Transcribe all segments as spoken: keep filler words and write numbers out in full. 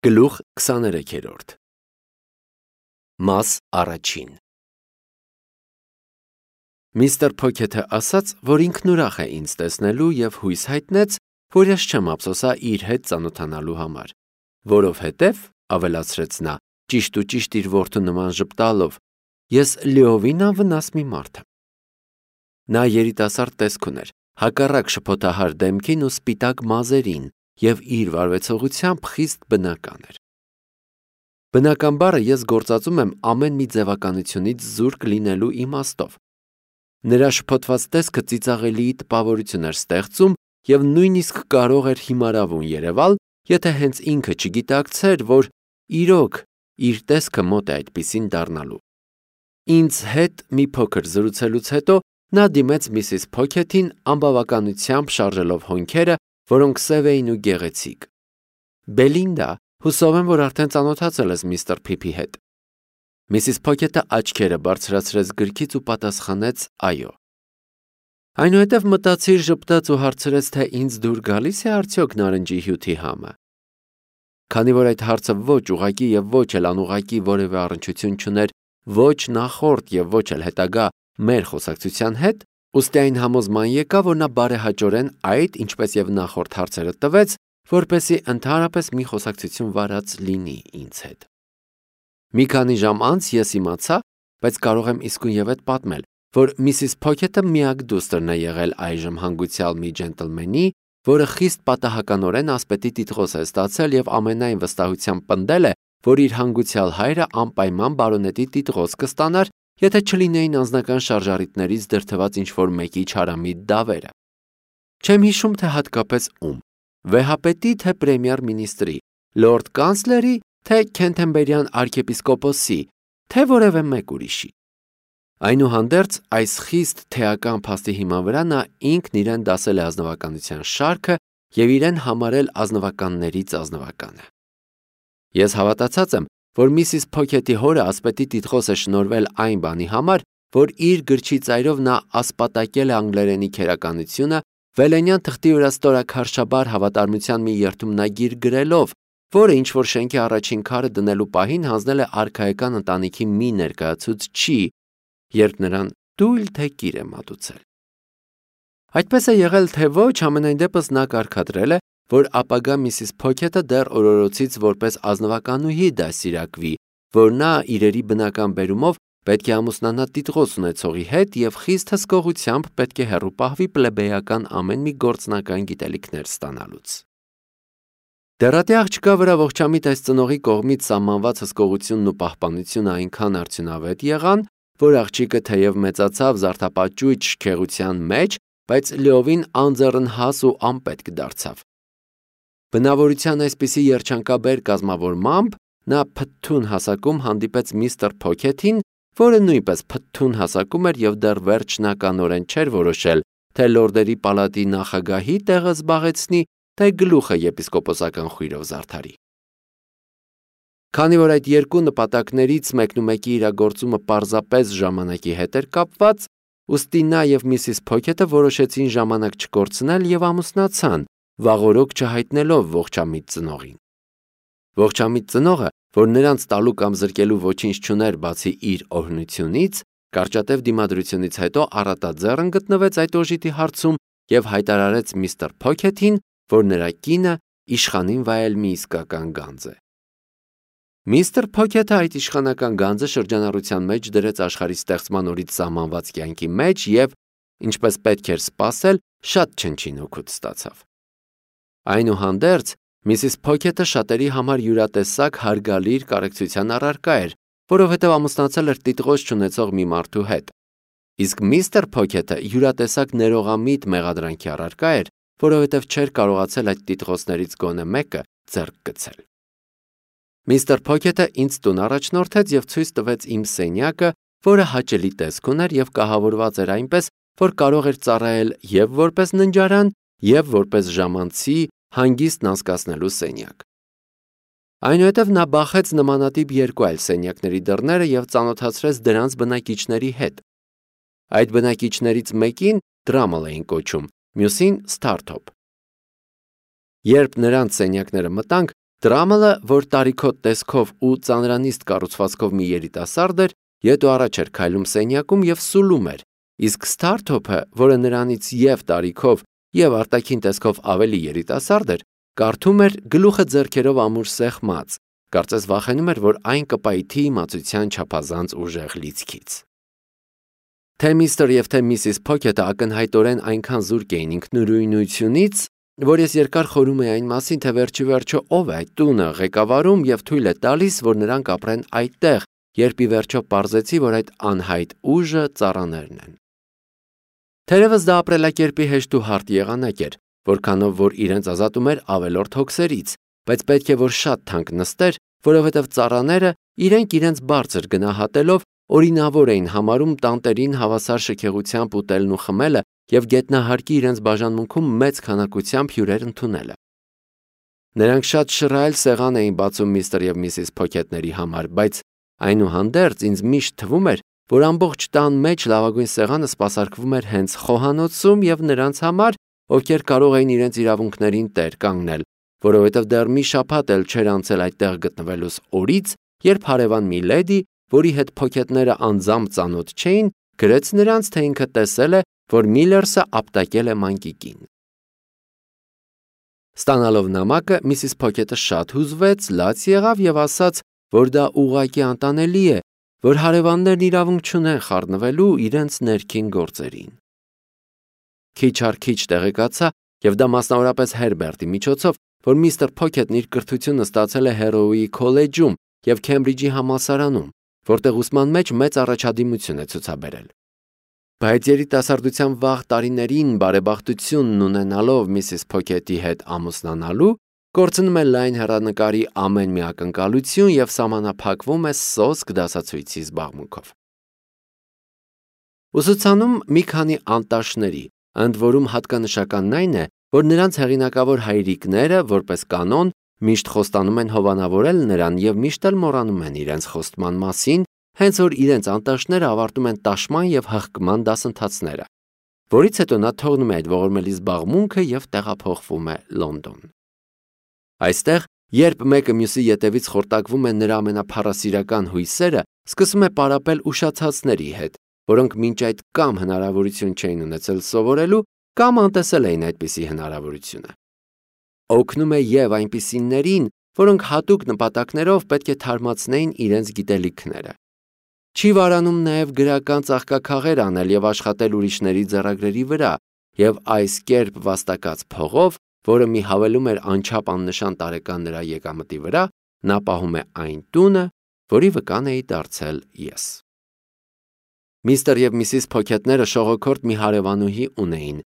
Գլուխ քսաներեքերորդ Մաս առաջին Միստր Փոքեթը ասաց, որ ինքն ուրախ է ինձ տեսնելու և հույս հայտնեց, որ ես չեմ ափսոսա իր հետ ծանոթանալու համար, որովհետև, ավելացրեց նա, ճիշտ ու ճիշտ իր որդու նման ժպտալով, ես լիովին անվնաս մի մարդ եմ։ Նա երիտասարդ տեսք ուներ, հակառակ շփոթահար դեմքին ու սպիտակ մազերին և իր վարվեցողությամբ խիստ բնական էր։ Բնական բառը ես գործածում եմ ամեն մի ձևականությունից զուրկ լինելու իմաստով։ Նրա շփոթված տեսքը ծիծաղելի տպավորություն էր ստեղծում և նույնիսկ կարող էր հիմարավուն երևալ, եթե հենց ինքը չգիտակցեր, որ իրոք իր տեսքը մոտ է այդպիսին դառնալու։ Ինձ հետ մի փոքր զրուցելուց հետո նա դիմեց միսիս Փոքեթին անբավականությամբ շարժելով հոնքերը, որոնք սև էին ու գեղեցիկ։ Բելինդա, հուսով եմ, որ արդեն ծանոթացել ես միստր Փիփի հետ։ Միսիս Փոքեթը աչքերը բարձրացրեց գրքից ու պատասխանեց այո։ Այնուհետև մտածիր ժպտաց ու հարցրեց, թե ինձ դուր գալիս է արդյոք նարնջի հյութի համը։ Քանի որ այդ հարցը ոչ ուղղակի և ոչ էլ անուղղակի որևէ առնչություն չուներ ոչ նախորդ և ոչ էլ հետագա մեր խոսակցության հետ, ուստի այն համոզման եկա, որ նա բարեհաճորեն այդ, ինչպես և նախորդ հարցերը տվեց, որպեսզի ընդհանրապես մի խոսակցություն վարած լինի ինձ հետ։ Մի քանի ժամ անց ես իմացա, բայց կարող եմ իսկույնևեթ պատմել, որ միսիս Փոքեթը միակ դուստրն է եղել այժմ հանգուցյալ մի ջենտլմենի, որը խիստ պատահականորեն ասպետի տիտղոս է ստացել և ամենայն վստահությամբ պնդել է, որ իր հանգուցյալ հայրը անպայման բարոնետի տիտղոս կստանար, եթե չլինեին անձնական շարժառիթներից դրդված ինչ-որ մեկի չարամիտ դավերը։ Չեմ հիշում, թե հատկապես ում, վեհապետի, թե պրեմիեր մինիստրի, լորդ կանցլերի, թե Քենթերբերյան արքեպիսկոպոսի, թե որևէ մեկ ուրիշի։ Այնուհանդերձ, այս խիստ թեական փաստի հիման վրա նա ինքն իրեն դասել է ազնվականության շարքը և իրեն համարել ազնվականներից ազնվականը։ Ես հավատացած եմ, որ միսիս Փոքեթի հորը ասպետի տիտղոս է շնորհվել այն բանի համար, որ իր գրչի ծայրով նա ասպատակել է անգլերենի քերականությունը, վելենյան թղթի վրա ստորաքարշաբար հավատարմության մի երդումնագիր գրելով, որը ինչ-որ շենքի առաջին քարը դնելու պահին հանձնել է արքայական ընտանիքի մի ներկայացուցչի, երբ նրան թույլ թե կիր է մատուցել։ Այդպես է եղել, թե ոչ, համենայն դեպս նա կարգադրել է, որ ապագա միսիս Փոքեթը դեռ օրորոցից որպես ազնվականուհի դաստիարակվի, որ նա իրերի բնական բերումով պետք է ամուսնանա տիտղոս ունեցողի հետ և խիստ հսկողությամբ պետք է հեռու պահվի պլեբեյական ամեն մի գործնական գիտելիքներ ստանալուց։ Դեռատի աղջկա վրա ողջամիտ այս ծնողի կողմից սահմանված հսկողությունն ու պահպանությունը այնքան արդյունավետ եղան, որ աղջիկը թեև մեծացավ զարդապաճույճ շքեղության մեջ, բայց լիովին անձեռնհաս ու անպետք դարձավ։ Բնավորության այսպիսի երջանկաբեր կազմավորմամբ նա փթթուն հասակում հանդիպեց միստր Փոքեթին, որը նույնպես փթթուն հասակում էր և դեռ վերջնականորեն չէր որոշել, թե լորդերի պալատի նախագահի տեղը զբաղեցնի, թե գլուխը եպիսկոպոսական խույրով զարդարի։ Քանի որ այդ երկու նպատակներից մեկնումեկի իրագործումը պարզապես ժամանակի հետ էր կապված, ուստի նա և միսիս Փոքեթը որոշեցին ժամանակ չկորցնել և ամուսնացան, վաղօրոք չհայտնելով ողջամիտ ծնողին։ Ողջամիտ ծնողը, որ նրանց տալու կամ զրկելու ոչինչ չուներ բացի իր օրհնությունից, կարճատև դիմադրությունից հետո առատաձեռն գտնվեց այդ օժիտի հարցում և հայտարարեց միստր Փոքեթին, որ նրա կինը իշխանին վայել մի իսկական գանձ է։ Միստր Փոքեթը այդ իշխանական գանձը շրջանառության մեջ դրեց աշխարհի ստեղծման օրից սահմանված կյանքի մեջ և, ինչպես պետք էր սպասել, շատ չնչին օգուտ ստացավ։ Այնուհանդերձ, միսիս Փոքեթը շատերի համար յուրատեսակ հարգալիր կարեկցության առարկա էր, որովհետև ամուսնացել էր տիտղոս չունեցող մի մարդու հետ, իսկ միստր Փոքեթը յուրատեսակ ներողամիտ մեղադրանքի առարկա էր, որովհետև չէր կարողացել այդ տիտղոսներից գոնե մեկը ձեռք գցել։ Միստր Փոքեթը ինձ տուն առաջնորդեց և ցույց տվեց իմ սենյակը, որը հաճելի տեսք ուներ և կահավորված էր այնպես, որ կարող էր ծառայել և որպես ննջարան, և որպես ժամանցի հանգիստն անցկացնելու սենյակ։ Այնուհետև նա բախեց նմանատիպ երկու այլ սենյակների դռները և ծանոթացրեց դրանց բնակիչների հետ։ Այդ բնակիչներից մեկին Դրամլ էին կոչում, մյուսին Սթարթոփ։ Երբ նրանց սենյակները մտանք, Տրամելը, որ տարիքոտ տեսքով ու ծանրանիստ կառուցվածքով մի երիտասարդ էր, ետ ու առաջ էր քայլում սենյակում եւ սուլում էր, իսկ Սթարթոփը, որը նրանից եւ տարիքով եւ արտաքին տեսքով ավելի երիտասարդ էր, կարդում էր գլուխը ձեռքերով ամուր սեղմած, կարծես վախենում էր, որ այն կպայթի իմացության չափազանց ուժեղ լիցքից։ Թե միստր եւ թե միսիս Փոքեթը ակնհայտորեն այնքան զուրկ էին ինքնուրույնությունից, որ ես երկար խորում էի այն մասին, թե վերջի վերջո ով է այդ տունը ղեկավարում եւ թույլ է տալիս, որ նրանք ապրեն այդտեղ, երբ ի վերջո պարզեցի, որ այդ անհայտ ուժը ծառաներն են։ Թերևս դա ապրելակերպի հեշտ ու հարթ եղանակ էր, որքանով որ իրենց ազատում էր ավելորդ հոգսերից, բայց պետք է որ շատ թանկ նստեր, որովհետև ծառաները իրենք իրենց բարձր գնահատելով օրինավոր էին համարում տանտերին հավասար շքեղությամբ ուտելն ու խմելը եւ գետնահարկի իրենց բաժանմունքում մեծ քանակությամբ հյուրեր ընդունելը։ Նրանք շատ շռայլ սեղան էին բացում միստր եւ միսիս Փոքեթների համար, բայց այնուհանդերձ ինձ միշտ թվում էր, որ ամբողջ տան մեջ լավագույն սեղանը սպասարկվում էր հենց խոհանոցում եւ նրանց համար, ովքեր կարող էին իրենց իրավունքներին տեր կանգնել, որովհետև դեռ մի շաբաթ էլ չէր անցել այդտեղ գտնվելուս օրից, երբ հարևան մի լեդի, որի հետ Փոքեթները անձամբ ծանոթ չէին, գրեց նրանց, թե ինքը տեսել է, որ Միլերսը ապտակել է մանկիկին։ Ստանալով նամակը, միսիս Փոքեթը շատ հուզվեց, լաց եղավ եւ ասաց, որ դա ուղղակի անտանելի է, որ հարևաններն իրավունք չունեն խառնվելու իրենց ներքին գործերին։ Քիչ առ քիչ տեղեկացա, եւ դա մասնավորապես Հերբերտի միջոցով, որ միստր Փոքեթն իր կրթությունը ստացել է Հերոուի քոլեջում եւ Քեմբրիջի համալսարանում, որտեղ ուսման մեջ մեծ առաջադիմություն է ցուցաբերել։ Բայց երիտասարդության վաղ տարիներին բարեբախտությունն ունենալով միսիս Փոքեթի հետ ամուսնանալու, կորցնում է լայն հեռանկարի ամեն մի ակնկալություն եւ սահմանափակվում է սոսկ դասացույցի զբաղմունքով։ Ուսուցանում մի քանի անտաշների, ընդ որում հատկանշականն այն է, որ նրանց հեղինակավոր հայրիկները, որպես կանոն, միշտ խոստանում են հովանավորել նրան եւ միշտ էլ մոռանում են իրենց խոստման մասին, հենց որ իրենց անտաշները ավարտում են տաշման եւ հղկման դասընթացները, որից հետո նա թողնում է այդ ողորմելի զբաղմունքը եւ տեղափոխվում է Լոնդոն։ Այստեղ, երբ մեկը մյուսի ետևից խորտակվում է նրա ամենափառասիրական հույսերը, սկսում է պարապել ուշացածների հետ, որոնք մինչ այդ կամ հնարավորություն չէին ունեցել սովորելու, կամ անտեսել էին այդպիսի հնարավորությունը։ Օգնում է եւ այնպիսիներին, որոնք հատուկ նպատակներով պետք է թարմացնեին իրենց գիտելիքները։ Չի վարանում նաև գրական ծաղկաքաղեր անել եւ աշխատել ուրիշների ձեռագրերի վրա, եւ այս կերպ վաստակած փողով, որը մի հավելում էր անչափ աննշան տարեկան նրա եկամտի վրա, նա պահում է այն տունը, որի վկան էի դարձել ես։ Միստր եւ միսիս Փոքեթները շողոքորթ մի հարևանուհի ունեին,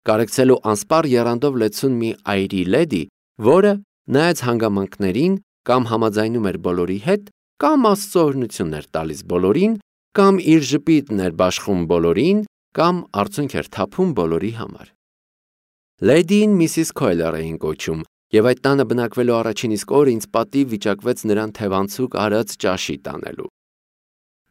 կարեկցելու անսպառ եռանդով լեցուն մի այրի լեդի, որը նայած հանգամանքներին կամ համաձայնում էր բոլորի հետ, կամ Աստծո օրհնությունն էր տալիս բոլորին, կամ իր ժպիտն էր բաշխում բոլորին, կամ արցունք էր թափում բոլորի համար։ Լեդին միսիս Քոյլեր էին կոչում, եւ այդ տանը բնակվելու առաջին իսկ օրը ինձ պատիվ վիճակվեց նրան թևանցուկ արած ճաշի տանելու։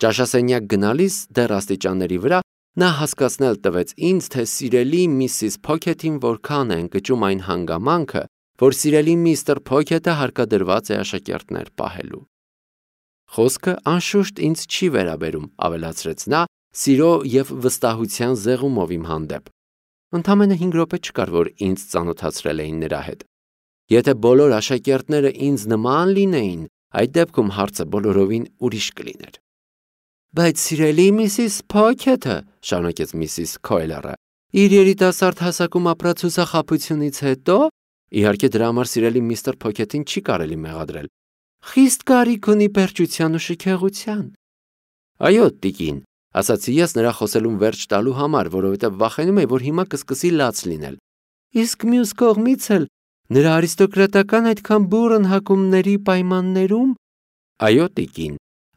Ճաշասենյակ գնալիս դեռ աստիճանների վրա նա հասկացնել տվեց ինձ, թե սիրելի միսիս Փոքեթին որքան է ընկճում այն հանգամանքը, որ սիրելի միստր Փոքեթը հարկադրված է աշակերտներ պահելու։ Խոսքը անշուշտ ինձ չի վերաբերում, ավելացրեց նա, սիրո եւ վստահության զեղումով իմ հանդեպ։ Ընդամենը հինգ րոպե չկար, որ ինձ ծանոթացրել էին նրա հետ։ Եթե բոլոր աշակերտները ինձ նման լինեին, այդ դեպքում հարցը բոլորովին ուրիշ կլիներ։ Բայց սիրելի միսիս Փոքեթը, շարունակեց միսիս Քոյլերը, իր երիտասարդ հասակում ապրած հուսախաբությունից հետո, իհարկե դրա համար սիրելի միստր Փոքեթին չի կարելի մեղադրել, խիստ կարիք ունի պերճության ու շքեղության։ Այո, տիկին, ասացի ես նրա խոսելուն վերջ տալու համար, որովհետև վախենում էի, որ հիմա կսկսի լաց լինել։ Իսկ մյուս կողմից էլ նրա արիստոկրատական այդքան բուռն հակումների պայմաններում։ Այո, տիկին,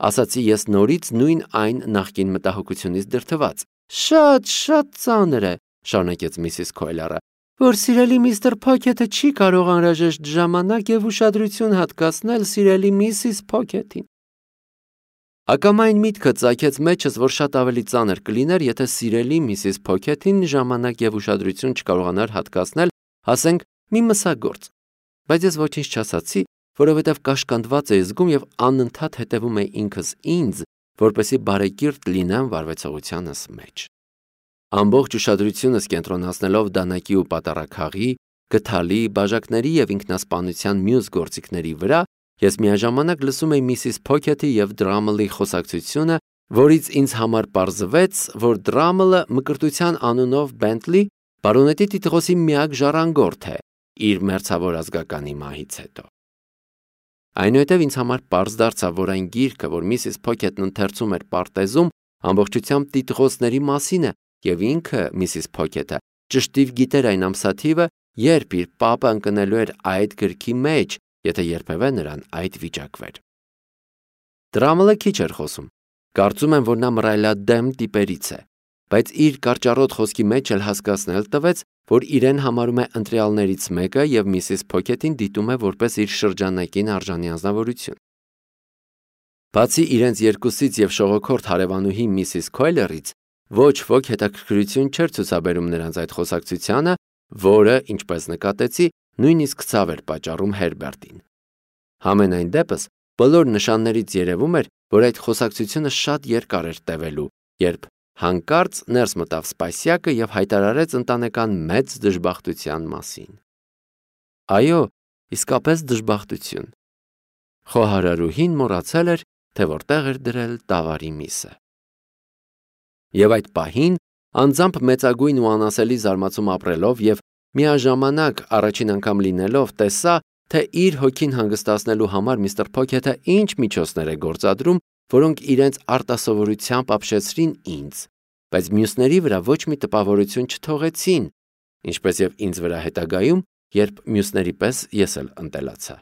ասացի ես նորից նույն այն նախկին մտահոգությունից դրդված։ Շատ, շատ ծանր է, շարունակեց միսիս Քոյլերը, որ սիրելի միստր Փոքեթը չի կարող անհրաժեշտ ժամանակ եւ ուշադրություն հատկացնել սիրելի միսիս Փոքեթին։ Ակամայն միտքը ծագեց մեջս, որ շատ ավելի ծանր կլիներ, եթե սիրելի միսիս Փոքեթին ժամանակ եւ ուշադրություն չկարողանար հատկացնել, ասենք, մի մսագործ։ Բայց ես ոչինչ չասացի, որովհետև կաշկանդված էի զգում և անընդհատ հետևում էի ինքս ինձ, որպեսզի բարեկիրթ լինեմ վարվեցողությանս մեջ։ Ամբողջ ուշադրությունս կենտրոնացնելով դանակի ու պատառաքաղի, գդալի, բաժակների և ինքնասպանության մյուս գործիքների վրա, ես միաժամանակ լսում էի միսիս Փոքեթի և Դրամլի խոսակցությունը, որից ինձ համար պարզվեց, որ Դրամլը մկրտության անունով Բենթլի բարոնետի տիտղոսի միակ ժառանգորդ է իր մերձավոր ազգականի մահից հետո։ Այնուհետև ինձ համար պարզ դարձավ, որ այն գիրքը, որ միսիս Փոքեթն ընթերցում էր պարտեզում, ամբողջությամբ տիտղոսների մասին է, և ինքը, միսիս Փոքեթը, ճշտիվ գիտեր այն ամսաթիվը, երբ իր պապը ընկնելու էր այդ գրքի մեջ, եթե երբևէ նրան այդ վիճակվեր։ Դրամլը քիչ էր խոսում։ Կարծում եմ, որ նա մռայլադեմ տիպերից է, բայց իր կարճառոտ խոսքի մեջ էլ հասկացնել տվեց, որ իրեն համարում է ընտրյալներից մեկը և միսիս Փոքեթին դիտում է որպես իր շրջանակին արժանի անձնավորություն։ Բացի իրենց երկուսից և շողոքորթ հարևանուհի միսիս Քոյլերից, ոչ ոք հետաքրքրություն չէր ցուցաբերում նրանց այդ խոսակցությանը, որը, ինչպես նկատեցի, նույնիսկ ցավ էր պատճառում Հերբերտին։ Համենայն դեպս, բոլոր նշաններից երևում էր, որ այդ խոսակցությունը շատ երկար էր տևելու, երբ հանկարծ ներս մտավ Սպասյակը և հայտարարեց ընտանեկան մեծ դժբախտության մասին։ Այո, իսկապես դժբախտություն։ Խոհարարուհին մոռացել էր, թե որտեղ էր դրել տավարի միսը։ Եվ այդ պահին, անձամբ մեծագույն ու անասելի զարմացում ապրելով և միաժամանակ առաջին անգամ լինելով, տեսա, թե իր հոգին հանգստացնելու համար միստր Փոքեթը ինչ միջոցներ է գործադրում, որոնք իրենց արտասովորությամբ ապշեցրին ինձ, բայց մյուսների վրա ոչ մի տպավորություն չթողեցին, ինչպես և ինձ վրա հետագայում, երբ մյուսների պես ես էլ ընտելացա։